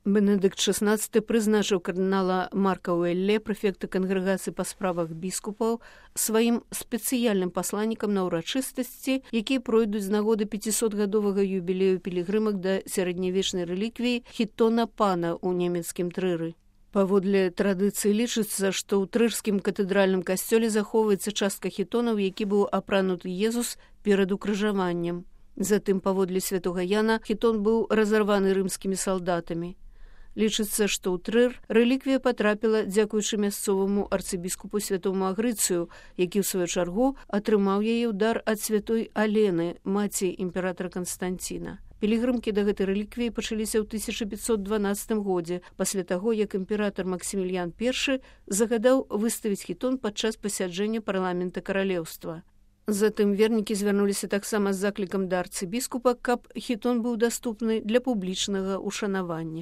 Бенедыкт XVI прызначыў кардынала Марка Уэлле, прэфекта кангрэгацыі па справах біскупаў, сваім спецыяльным пасланнікам на ўрачыстасці, якія пройдуць з нагоды 500-гадовага юбілею пілігрымак да сярэднявечнай рэліквіі хітона пана ў нямецкім Трыры. Паводле традыцыі лічыцца, што ў трырскім катэдральным касцёле захоўваецца частка хітонаў, які быў апрануты Езус перад укрыжаваннем. Затым, паводле святога Яна, хітон быў разарваны рымскімі салдатамі. Лічыцца, што ў Трыр рэліквія патрапіла дзякуючы мясцоваму арцыбіскупу святому Агрыцыю, які ў сваю чаргу атрымаў яе ў дар ад святой Алены, маці імператара Канстанціна. Пілігрымкі да гэтай рэліквіі пачаліся ў 1512 годзе, пасля таго, як імператар Максімільян I загадаў выставіць хітон падчас пасяджэння парламента каралеўства. Затым вернікі звярнуліся таксама з заклікам да арцыбіскупа, каб хітон быў даступны для публічнага ушанавання.